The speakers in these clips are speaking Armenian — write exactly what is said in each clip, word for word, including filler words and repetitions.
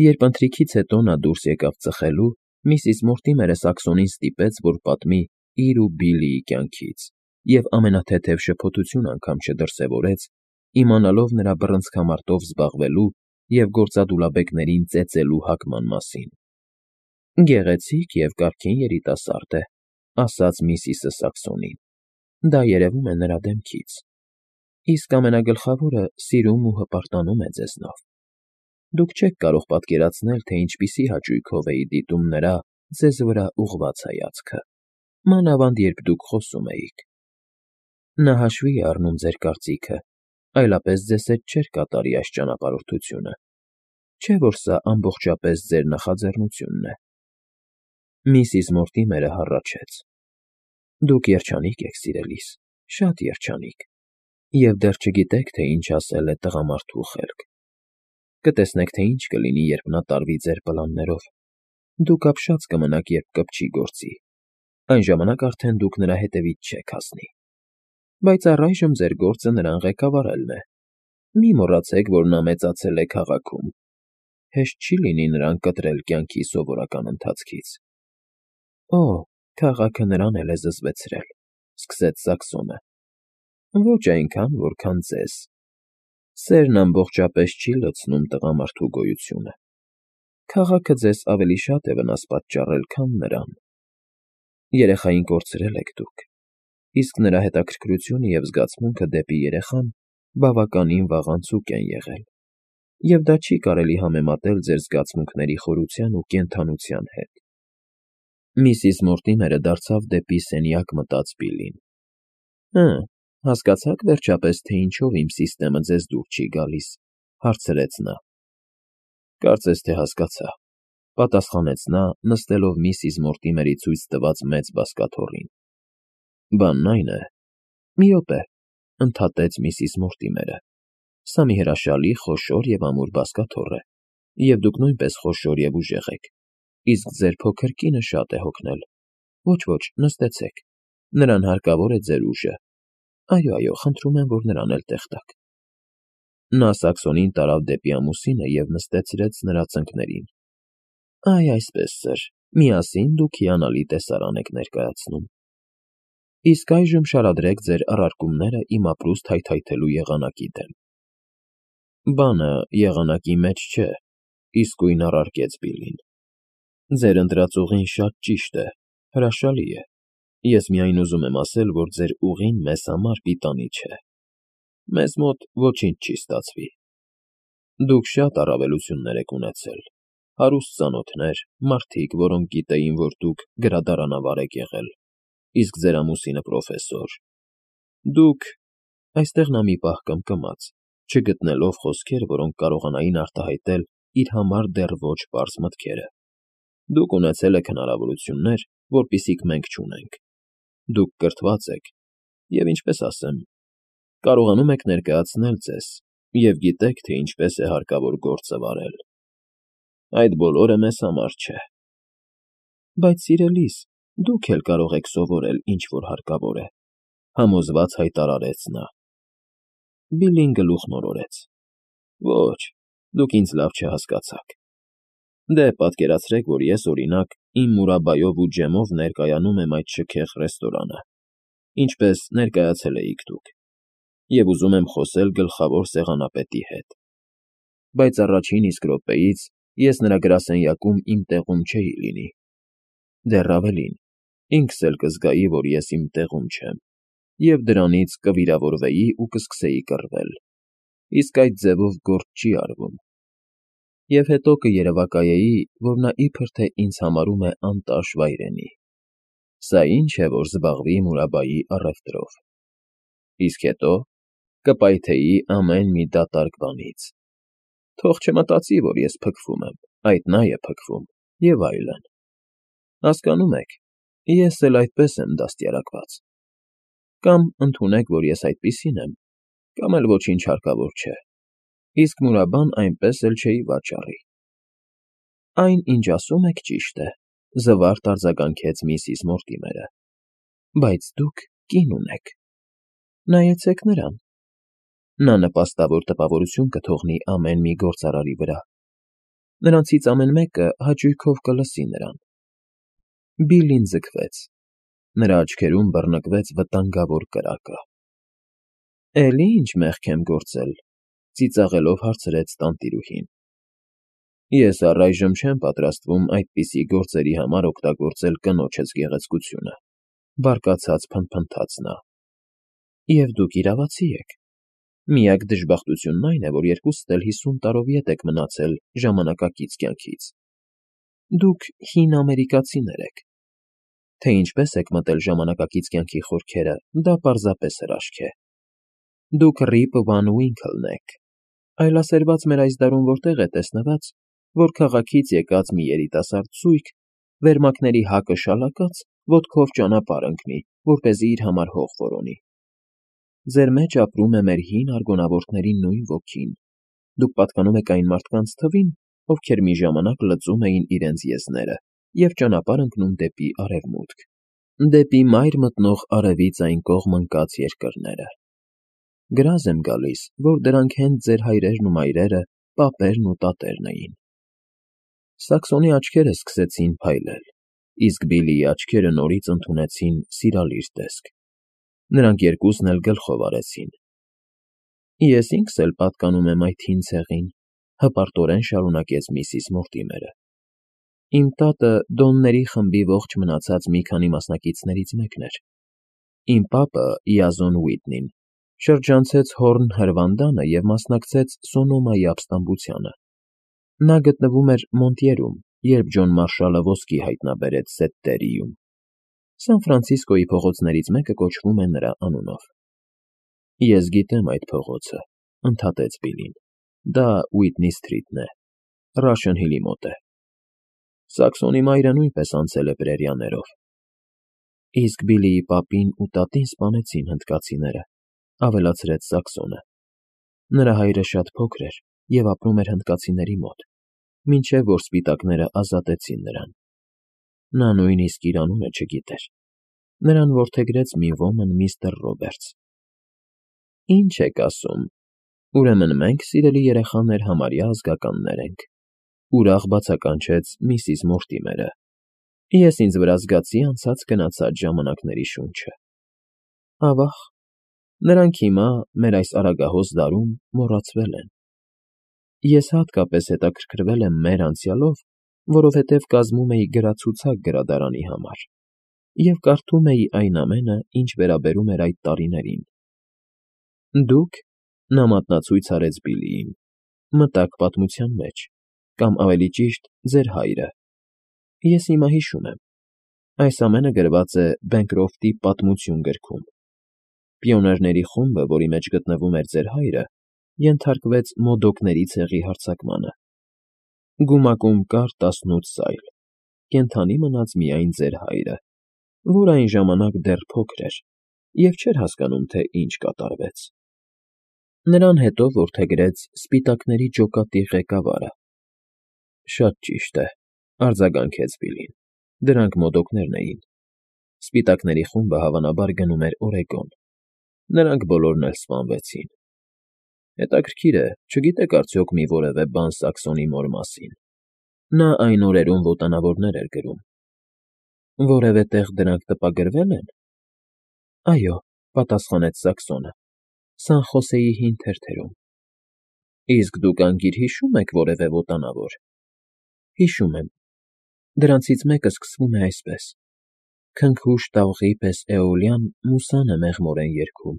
Երբ ընթրիքից հետո նա դուրս եկավ ծխելու, միսիս Մորտիմերը Սաքսոնին ստիպեց, որ պատմի իր ու Բիլլիի կյանքից, և ամենաթեթև շփոթություն անգամ չդրսևորեց, իմանալով նրա բռնցքամարտով զբաղվելու և գործադուլաբեկներին ծեծելու հակման մասին։ ֊ Գեղեցիկ և կարգին երիտասարդ է,֊ ասաց միսիսը Սաքսոնին,֊ դա երևում է նրա դեմքից, իսկ ամենագլխավորը սիրում ու հպարտանում է ձեզնով։ Դուք չեք կարող պատկերացնել, թե ինչպիսի հաճույքով էի դիտում նրա ձեզ վրա ուղղված հայացքը, մանավանդ երբ դուք խոսում էիք։ Նա հաշվի է առնում ձեր կարծիքը, այլապես ձեզ հետ չէր կատարի այս ճանապարհորդությունը, չէ՞ որ սա ամբողջապես ձեր նախաձեռնությունն է։ Միսիս Մորտիմերը հառաչեց. Դուք երջանիկ եք, սիրելիս, շատ երջանիկ, և դեռ չգիտեք, թե ինչ ասել է տղամարդու խելք։ Կտեսնեք, թե ինչ կլինի, երբ նա տարվի ձեր պլաններով։ Դուք ապշած կմնաք, երբ կպչի գործի, այն ժամանակ արդեն դուք նրա հետևից չեք հասնի։ Բայց առայժմ ձեր գործը նրան ղեկավարելն է։ Մի մոռացեք, որ նա մեծացել է քաղաքում, հեշտ չի լինի նրան կտրել կյանքի սովորական ընթացքից։ ֊ Օ՜, քաղաքը նրան էլ է զզվեցրել,֊ սկսեց Սաքսոնը,֊ ոչ այնքան, որքան ձեզ։ Սերն ամբողջապես չի լցնում տղամարդու գոյությունը։ Քաղաքը ձեզ ավելի շատ է վնաս պատճառել, քան նրան։ Երեխային կորցրել եք դուք, իսկ նրա հետաքրքրությունը և զգացմունքը դեպի երեխան բավականին վաղանցուկ են եղել, և դա չի կարելի համեմատել ձեր զգացմունքների խորության ու կենդանության հետ։ Միսիս Մորտիմերը դարձավ դեպի սենյակ մտած Բիլլին։ ֊ Հը, հասկացա՞ք վերջապես, թե ինչով իմ սիստեմը ձեզ դուր չի գալիս,֊ հարցրեց նա։ ֊ Կարծես թե հասկացա,֊ պատասխանեց նա, նստելով միսիս Մորտիմերի ցույց տված մեծ բազկաթոռին։ ֊ Բանն այն է… Մի րոպե,֊ ընդհատեց միսիս Մորտիմերը,֊ սա մի հրաշալի, խոշոր և ամուր բազկաթոռ է, և դուք նույնպես խոշոր և ուժեղ եք, իսկ ձեր փոքր կինը շատ է հոգնել։ Ոչ, ոչ, նստեցեք, նրան հարկավոր է ձեր ուժը։ Այո, այո, խնդրում եմ, որ նրան էլ տեղ տաք։ Նա Սաքսոնին տարավ դեպի ամուսինը և նստեցրեց նրա ծնկներին։ ֊ Այ այսպես, սըր, միասին դուք հիանալի տեսարան եք ներկայացնում։ Իսկ այժմ շարադրեք ձեր առարկումները իմ ապրուստ հայթայթելու եղանակի դեմ։ ֊ Բանը եղանակի մեջ չէ,֊ իսկույն առարկեց Բիլլին։ Ձեր ընտրած ուղին շատ ճիշտ է, հրաշալի է։ Ես միայն ուզում եմ ասել, որ ձեր ուղին մեզ համար պիտանի չէ։ Մեզ մոտ ոչինչ չի ստացվի։ Դուք շատ առավելություններ եք ունեցել, հարուստ ծանոթներ, մարդիկ, որոնք գիտեին, որ դուք գրադարանավար եք եղել, իսկ ձեր ամուսինը պրոֆեսոր։ Դուք… Այստեղ նա մի պահ կմկմաց, չգտնելով խոսքեր, որոնք կարողանային արտահայտել իր համար դեռ ոչ պարզ մտքերը։ Դուք ունեցել եք հնարավորություններ, որպիսիք մենք չունենք։ Դուք կրթված եք և, ինչպես ասեմ, կարողանում եք ներկայացնել ձեզ և գիտեք, թե ինչպես է հարկավոր գործը վարել։ Այդ բոլորը մեզ համար չէ։ ֊ Բայց, սիրելիս, դուք էլ կարող եք սովորել, ինչ որ հարկավոր է,֊ համոզված հայտարարեց նա։ Բիլլին գլուխն օրորեց։ ֊ Ոչ, դուք ինձ լավ չհասկացաք։ Դե, պատկերացրեք, որ ես, օրինակ, իմ Մուրաբայով ու ջեմով ներկայանում եմ այդ շքեղ ռեստորանը, ինչպես ներկայացել էիք դուք, և ուզում եմ խոսել գլխավոր սեղանապետի հետ։ Բայց առաջին իսկ րոպեից ես նրա գրասենյակում իմ տեղում չէի լինի։ Դեռ ավելին, ինքս էլ կզգայի, որ ես իմ տեղում չեմ, և դրանից կվիրավորվեի ու կսկսեի կռվել, իսկ այդ ձևով գործ չի արվում։ Եվ հետո կերևակայեի, որ նա իբր թե ինձ համարում է անտաշ վայրենի։ Սա ի՞նչ է, որ զբաղվի Մուրաբայի առևտրով։ Իսկ հետո կպայթեի ամեն մի դատարկ բանից։ Թող չմտածի, որ ես փքվում եմ, այդ նա է փքվում, և այլն։ Հասկանո՞ւմ եք, ես էլ այդպես եմ դաստիարակված։ Կամ ընդունեք, որ ես այդպիսին եմ, կամ էլ ոչինչ հարկավոր չէ, իսկ Մուրաբան այնպես էլ չէի վաճառի։ ֊ Այն, ինչ ասում եք, ճիշտ է,֊ զվարթ արձագանքեց միսիս Մորտիմերը,֊ բայց դուք կին ունեք։ Նայեցեք նրան։ Նա նպաստավոր տպավորություն կթողնի ամեն մի գործարարի վրա։ Նրանցից ամեն մեկը հաճույքով կլսի նրան։ Բիլլին ձգվեց։ Նրա աչքերում բռնկվեց վտանգավոր կրակը։ ֊ Էլի ինչ մեղք եմ գործել,֊ ծիծաղելով հարցրեց տանտիրուհին։ ֊ Ես առայժմ չեմ պատրաստվում այդպիսի գործերի համար օգտագործել կնոջս գեղեցկությունը,֊ բարկացած փնթփնթաց նա։ ֊ Եվ դուք իրավացի եք։ Միակ դժբախտությունն այն է, որ երկուսդ էլ հիսուն տարով ետ եք մնացել ժամանակակից կյանքից։ Դուք հին ամերիկացիներ եք։ Թե ինչպես եք մտել ժամանակակից կյանքի խորքերը, դա պարզապես հրաշք է։ Դուք Ռիպ Վան Ուինքլն եք։ Այլասերված մեր այս դարում որտեղ է տեսնված, որ քաղաքից եկած մի երիտասարդ զույգ, վերմակների հակը շալակած, ոտքով ճանապարհ ընկնի, որպեսզի իր համար հող որոնի։ Ձեր մեջ ապրում է մեր հին արգոնավորների նույն ոգին։ Դուք պատկանում եք այն մարդկանց թվին, ովքեր մի ժամանակ լծում էին իրենց եզները և ճանապարհ ընկնում դեպի արևմուտք, դեպի մայր մտնող արևից այն կողմ ընկած երկրները։ Գրազ եմ գալիս, որ դրանք հենց ձեր հայրերն ու մայրերը, պապերն ու տատերն էին։ Սաքսոնի աչքերը սկսեցին փայլել, իսկ Բիլլիի աչքերը նորից ընդունեցին սիրալիր տեսք։ Նրանք երկուսն էլ գլխով արեցին։ Ես ինքս էլ պատկանում եմ այդ հին ցեղին,֊ հպարտորեն շարունակեց միսիս Մորտիմերը։ Իմ տատը Դոնների խմբի ողջ մնացած մի քանի մասնակիցներից մեկն էր։ Իմ պապը՝ Յազոն Ուիթնին, շրջանցեց Հորն հրվանդանը և մասնակցեց Սոնոմայի ապստամբությանը։ Նա գտնվում էր Մոնտյերում, երբ Ջոն Մարշալը ոսկի հայտնաբերեց Սեթտերիում։ Սան Ֆրանցիսկոյի փողոցներից մեկը կոչվում է նրա անունով։ Ես գիտեմ այդ փողոցը,֊ ընդհատեց Բիլլին։ Դա Ուիթնի Սթրիթն է, Ռաշն Հիլի մոտ է։ Սաքսոնի մայրը նույնպես անցել է պրերիաներով։ Իսկ Բիլլիի պապին ու տատին սպանեցին հնդկացիները,֊ ավելացրեց Սաքսոնը։ Նրա հայրը շատ փոքր էր և ապրում էր հնդկացիների մոտ, մինչև որ սպիտակները ազատեցին նրան։ Նա նույնիսկ իր անունը չգիտեր։ Նրան որդեգրեց մի ոմն միստր Ռոբերտս։ ֊ Ինչ եք ասում, ուրեմն մենք, սիրելի երեխաներ, համարյա ազգականներ ենք,֊ ուրախ բացականչեց միսիս Մորտիմերը։ Ես ինձ վրա զգացի անցած֊գնացած ժամանակների շունչը։ Ավա՜ղ, նրանք հիմա, մեր այս արագահոս դարում, մոռացվել են։ Ես հատկապես հետաքրքրվել եմ մեր անցյալով, որովհետև կազմում էի գրացուցակ գրադարանի համար և կարդում էի այն ամենը, ինչ վերաբերում էր այդ տարիներին։ Դուք, նա մատնացույց արեց Բիլլիին, մտաք պատմության մեջ, կամ ավելի ճիշտ, ձեր հայրը։ Ես հիմա հիշում եմ։ Այս ամենը գրված է Բենկրոֆտի «Պատմություն» գրքում։ Պիոներների խումբը, որի մեջ գտնվում էր ձեր հայրը, ենթարկվեց Մոդոկների ցեղի հարձակմանը։ Գումակում կար տասնութ սայլ, կենդանի մնաց միայն ձեր հայրը, որ այն ժամանակ դեռ փոքր էր և չէր հասկանում, թե ինչ կատարվեց։ Նրան հետո որդեգրեց սպիտակների ջոկատի ղեկավարը։ ֊ Շատ ճիշտ է,֊ արձագանքեց Բիլլին։ Դրանք մոդոկներն էին։ Սպիտակների խումբը հավանաբար գնում էր Օրեգոն։ Նրանք բոլորն էլ սպանվեցին։ Հետաքրքիր է, չգիտեք արդյոք մի որևէ բան Սաքսոնի մոր մասին։ Նա այն օրերում ոտանավորներ էր գրում։ Որևէ տեղ դրանք տպագրվե՞լ են։ ֊ Այո,֊ պատասխանեց Սաքսոնը,֊ Սան Խոսեի հին թերթերում։ ֊ Իսկ դուք անգիր հիշո՞ւմ եք որևէ ոտանավոր։ ֊ Հիշում եմ։ Դրանցից մեկը սկսվում է այսպես. Քնքուշ տաղղի պես Էոլյան մուսան է մեղմորեն երգում,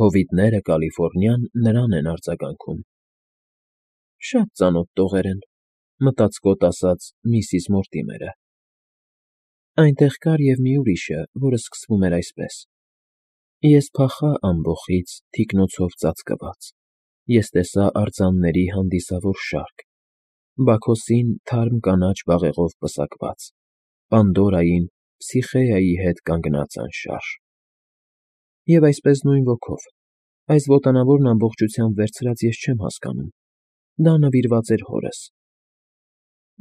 հովիտները Կալիֆոռնյան նրան են արձագանքում։ Շատ ծանոթ տողեր են,֊ մտածկոտ ասաց միսիս Մորտիմերը։ Այնտեղ կար և մի ուրիշը, որը սկսվում էր այսպես. Ես փախա ամբոխից թիկնոցով ծածկված, ես տեսա արձանների հանդիսավոր շարք, Բաքոսին թարմ կանաչ բաղեղով պսակված, Պանդորային, Փսիխեայի հետ կանգնած անշարժ… Եվ այսպես նույն ոգով, այս ոտանավորն ամբողջությամբ վերցրած ես չեմ հասկանում, դա նվիրված էր հորս։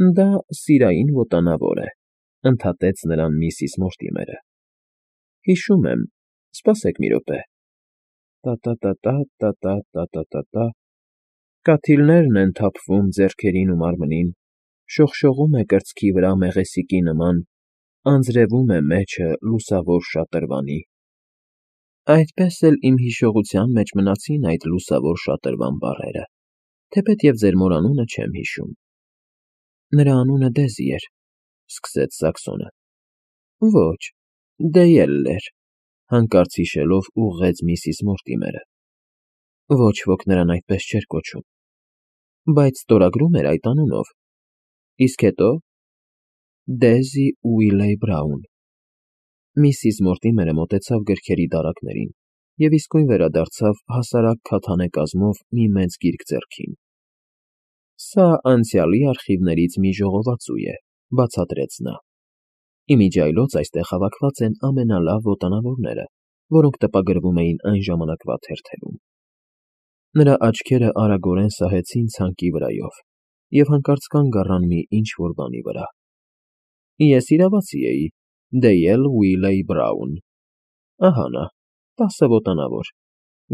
֊ Դա սիրային ոտանավոր է,֊ ընդհատեց նրան միսիս Մորտիմերը։ ֊ Հիշում եմ, սպասեք մի րոպե… Տա֊տա֊տա֊տա, տա֊տա֊տա֊տա֊տա… Կաթիլներն են թափվում ձեռքերին ու մարմնին, շողշողում է կրծքի վրա մեղեսիկի նման, անձրևում է մեջը լուսավոր շատրվանի։ Այդպես էլ իմ հիշողության մեջ մնացին այդ լուսավոր շատրվան բառերը, թեպետ և ձեր մոր անունը չեմ հիշում։ Նրա անունը Դեզի էր, սկսեց Սաքսոնը։ Ոչ, Դեյել էր, հանկարծ հիշելով ուղղեց միսիս Մորտիմերը։ Ոչ ոք նրան այդպես չէր կոչում, բայց ստորագրում էր այդ անունով։ Իսկ հետո… Դեզի Ուիլեյ Բրաուն։ Միսիս Մորտիմերը մոտեցավ գրքերի դարակներին և իսկույն վերադարձավ հասարակ քաթանե կազմով մի մեծ գիրք ձեռքին։ Սա անցյալի արխիվներից մի ժողովածու է, բացատրեց նա։ Իմիջիայլոց այստեղ հավաքված են ամենալավ ոտանավորները, որոնք տպագրվում էին այն ժամանակվա թերթերում։ Նրա աչքերը արագորեն սահեցին ցանկի վրայով և հանկարծ կանգ առան մի ինչ֊որ բանի վրա։ Ես իրավացի էի, Դեյել Ուիլեյ Բրաուն։ Ահա նա, տասը ոտանավոր,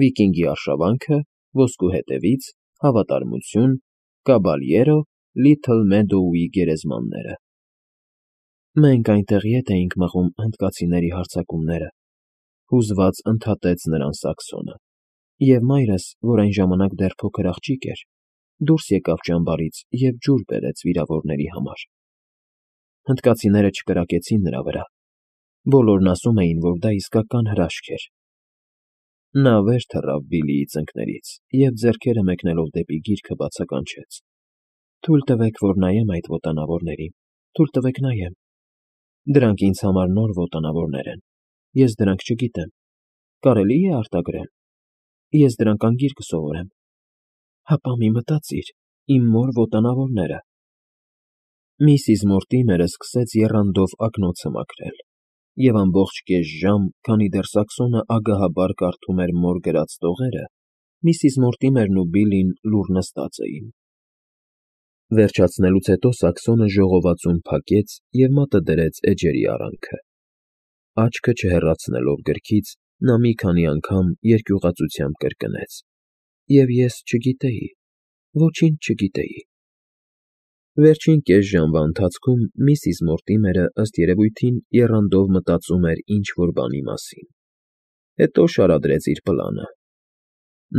վիկինգի արշավանքը, ոսկու հետևից, հավատարմություն, կաբալյերո, Լիթլ Մեդոուի գերեզմանները։ Մենք այնտեղ ետ էինք մղում հնդկացիների հարձակումները, հուզված ընդհատեց նրան Սաքսոնը, և մայրս, որ այն ժամանակ դեռ փոքր աղջիկ էր, դուրս եկավ ճամբարից և ջուր բերեց վիրավորների համար։ Հնդկացիները չկրակեցին նրա վրա, բոլորն ասում էին, որ դա իսկական հրաշք էր։ Նա վեր թռավ Բիլիի ծնկներից և ձեռքերը մեկնելով դեպի գիրքը բացականչեց. Թույլ տվեք, որ նայեմ այդ ոտանավորներին, թույլ տվեք նայեմ։ Դրանք ինձ համար նոր ոտանավորներ են, ես դրանք չգիտեմ, կարելի՞ է արտագրել։ Ես դրանք անգիր կսովորեմ։ Հապա մի մտածիր, իմ մոր ոտանավորները… Միսիս Մորտիմերը սկսեց եռանդով ակնոցը մաքրել, և ամբողջ կես ժամ, քանի դեռ Սաքսոնը ագահաբար կարդում էր մոր գրած տողերը, միսիս Մորտիմերն ու Բիլին լուռ նստած էին։ Վերջացնելուց հետո Սաքսոնը ժողովածուն փակեց և մատը դրեց էջերի արանքը։ Աչքը չհեռացնելով գրքից, նա մի քանի անգամ երկյուղածությամբ կրկնեց. և ես չգիտեի, ոչինչ չգիտեի։ Վերջին կես ժամվա ընթացքում միսիս Մորտիմերը, ըստ երևույթին, եռանդով մտածում էր ինչ֊որ բանի մասին։ Հետո շարադրեց իր պլանը։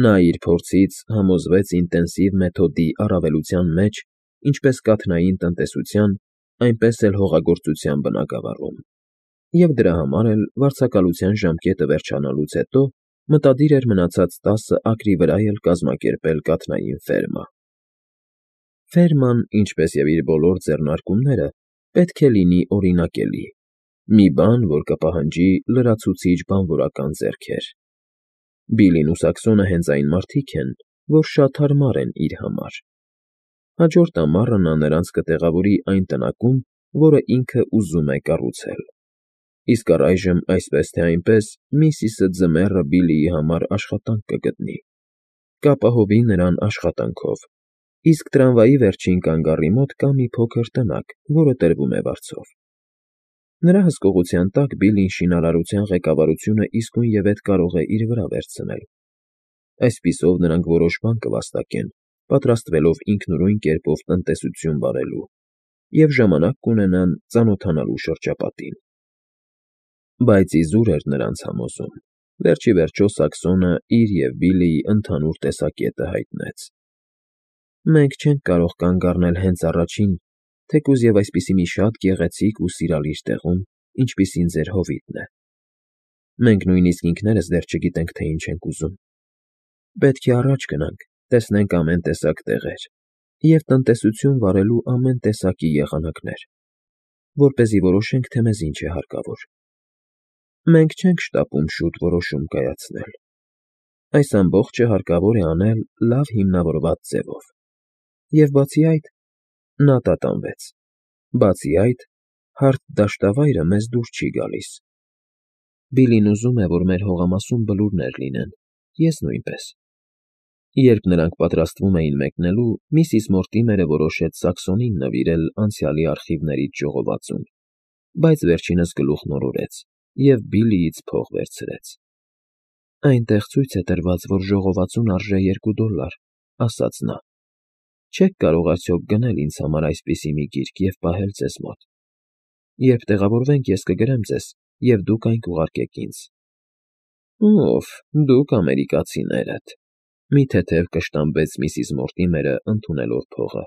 Նա իր փորձից համոզվեց ինտենսիվ մեթոդի առավելության մեջ ինչպես կաթնային տնտեսության, այնպես էլ հողագործության բնագավառում, և դրա համար էլ վարձակալության ժամկետը վերջանալուց հետո մտադիր էր մնացած տասը ակրի վրա էլ կազմակերպել կաթնային ֆերմա։ Ֆերման, ինչպես և իր բոլոր ձեռնարկումները, պետք է լինի օրինակելի, մի բան, որ կպահանջի լրացուցիչ բանվորական ձեռքեր։ Բիլին ու Սաքսոնը հենց այն մարդիկ են, որ շատ հարմար են իր համար։ Հաջորդ ամառը նա նրանց կտեղավորի այն տնակում, որը ինքը ուզում է կառուցել։ Իսկ առայժմ, այսպես թե այնպես, միսիսը ձմեռը Բիլիի համար աշխատանք կգտնի, կապահովի նրան աշխատանքով, իսկ տրամվայի վերջին կանգառի մոտ կա մի փոքր տնակ, որը տրվում է վարձով։ Նրա հսկողության տակ Բիլին շինարարության ղեկավարությունը իսկույնևեթ կարող է իր վրա վերցնել։ Այսպիսով նրանք որոշ բան կվաստակեն, պատրաստվելով ինքնուրույն կերպով տնտեսություն վարելու, և ժամանակ կունենան ծանոթանալու շրջապատին։ Բայց իզուր էր նրանց համոզում, վերջիվերջո Սաքսոնը իր և Բիլիի ընդհանուր տեսակետը հայտնեց։ Մենք չենք կարող կանգ առնել հենց առաջին, թեկուզ և այսպիսի մի շատ գեղեցիկ ու սիրալիր տեղում, ինչպիսին ձեր հովիտն է։ Մենք նույնիսկ ինքներս դեռ չգիտենք, թե ինչ ենք ուզում։ Պետք է առաջ գնանք, տեսնենք ամեն տեսակ տեղեր և տնտեսություն վարելու ամեն տեսակի եղանակներ, որպեսզի որոշենք, թե մեզ ինչ է հարկավոր։ Մենք չենք շտապում շուտ որոշում կայացնել։ Այս ամբողջը հարկավոր է անել լավ հիմնավորված ձևով։ Եվ բացի այդ… Նա տատանվեց։ Բացի այդ, հարթ դաշտավայրը մեզ դուր չի գալիս։ Բիլին ուզում է, որ մեր հողամասում բլուրներ լինեն, ես նույնպես։ Երբ նրանք պատրաստվում էին մեկնելու, միսիս Մորտիմերը որոշեց Սաքսոնին նվիրել անցյալի արխիվներից ժողովածուն, բայց վերջինս գլուխն օրորեց և Բիլիից փող վերցրեց։ Այնտեղ ցույց է տրված, որ ժողովածուն արժե երկու դոլար, ասաց նա։ Չեք կարող արդյոք գնել ինձ համար այսպիսի մի գիրք և պահել ձեզ մոտ։ Երբ տեղավորվենք, ես կգրեմ ձեզ, և դուք այն կուղարկեք ինձ։ Օֆ, դուք ամերիկացիներդ,֊ մի թեթև կշտամբեց միսիս Մորտիմերը, ընդունելով փողը։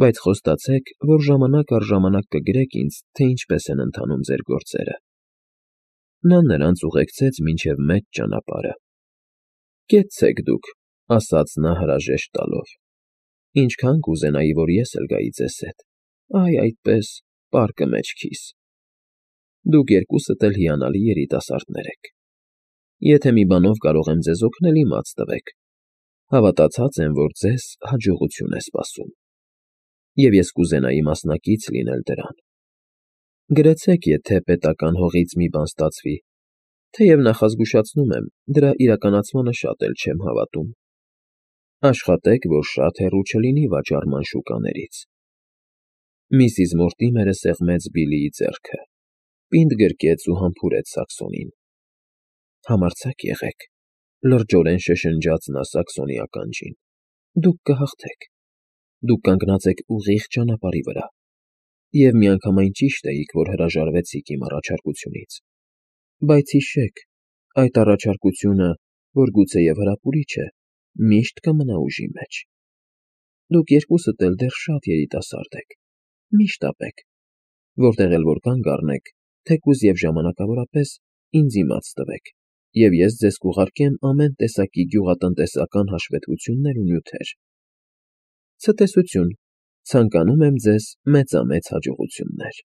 Բայց խոստացեք, որ ժամանակ առ ժամանակ կգրեք ինձ, թե ինչպես են ընթանում ձեր գործերը։ Նա նրանց ուղեկցեց մինչև մեծ ճանապարհը։ Կեցցեք դուք,֊ ասաց նա հրաժեշտ տալով։ Ինչքան կուզենայի, որ ես էլ գայի ձեզ հետ, այ այդպես, պարկը մեջքիս։ Դուք երկուսդ էլ հիանալի երիտասարդներ եք։ Եթե մի բանով կարող եմ ձեզ օգնել, իմաց տվեք։ Հավատացած եմ, որ ձեզ հաջողություն է սպասում։ Եվ ես կուզենայի մասնակից լինել դրան։ Գրեցեք, եթե պետական հողից մի բան ստացվի, թեև նախազգուշացնում եմ, դրա իրականացմանը շատ էլ չեմ հավատում։ Աշխատեք, որ շատ հեռու չլինի վաճառման շուկաներից։ Միսիս Մորտիմերը սեղմեց Բիլլիի ձեռքը, պինդ գրկեց ու համբուրեց Սաքսոնին։ Համարձակ եղեք,֊ լրջորեն շշնջաց նա Սաքսոնի ականջին։ Դուք կհաղթեք։ Դուք կանգնած եք ուղիղ ճանապարհի վրա, և միանգամայն ճիշտ էիք, որ հրաժարվեցիք իմ առաջարկությունից։ Բայց հիշեք, այդ առաջարկությունը, որ գուցեև հրապուրիչ է, միշտ կմնա ուժի մեջ։ Դուք երկուսդ էլ դեռ շատ երիտասարդ եք։ Մի՛ շտապեք։ Որտեղ էլ որ կանգ առնեք, թեկուզ և ժամանակավորապես, ինձ իմաց տվեք, և ես ձեզ կուղարկեմ ամեն տեսակի գյուղատնտեսական հաշվետվություններ ու նյութեր։ Ցտեսություն, ցանկանում եմ ձեզ մեծամեծ հաջողություններ։